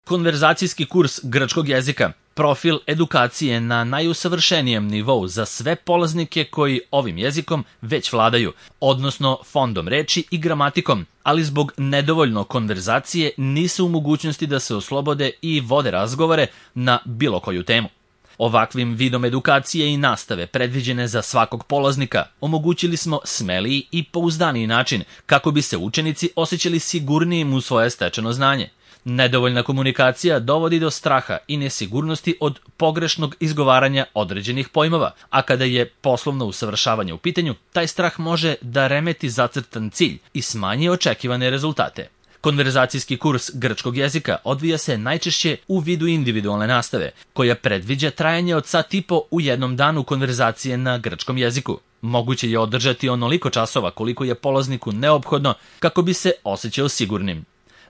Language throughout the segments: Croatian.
Konverzacijski kurs grčkog jezika, profil edukacije na najusavršenijem nivou za sve polaznike koji ovim jezikom već vladaju, odnosno fondom reči i gramatikom, ali zbog nedovoljno konverzacije nisu u mogućnosti da se oslobode i vode razgovore na bilo koju temu. Ovakvim vidom edukacije i nastave predviđene za svakog polaznika omogućili smo smeliji i pouzdaniji način kako bi se učenici osjećali sigurnijim u svoje stečeno znanje. Nedovoljna komunikacija dovodi do straha i nesigurnosti od pogrešnog izgovaranja određenih pojmova, a kada je poslovno usavršavanje u pitanju, taj strah može da remeti zacrtan cilj i smanji očekivane rezultate. Konverzacijski kurs grčkog jezika odvija se najčešće u vidu individualne nastave, koja predviđa trajanje od sat i po u jednom danu konverzacije na grčkom jeziku. Moguće je održati onoliko časova koliko je polazniku neophodno kako bi se osjećao sigurnim.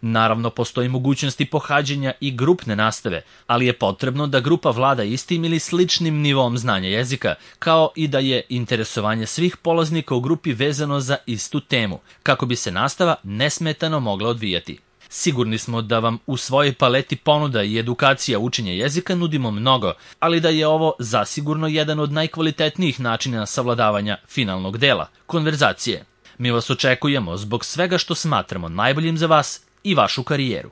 Naravno, postoji mogućnosti pohađanja i grupne nastave, ali je potrebno da grupa vlada istim ili sličnim nivom znanja jezika, kao i da je interesovanje svih polaznika u grupi vezano za istu temu, kako bi se nastava nesmetano mogla odvijati. Sigurni smo da vam u svojoj paleti ponuda i edukacija učenja jezika nudimo mnogo, ali da je ovo zasigurno jedan od najkvalitetnijih načina savladavanja finalnog dela, konverzacije. Mi vas očekujemo zbog svega što smatramo najboljim za vas i vašu karijeru.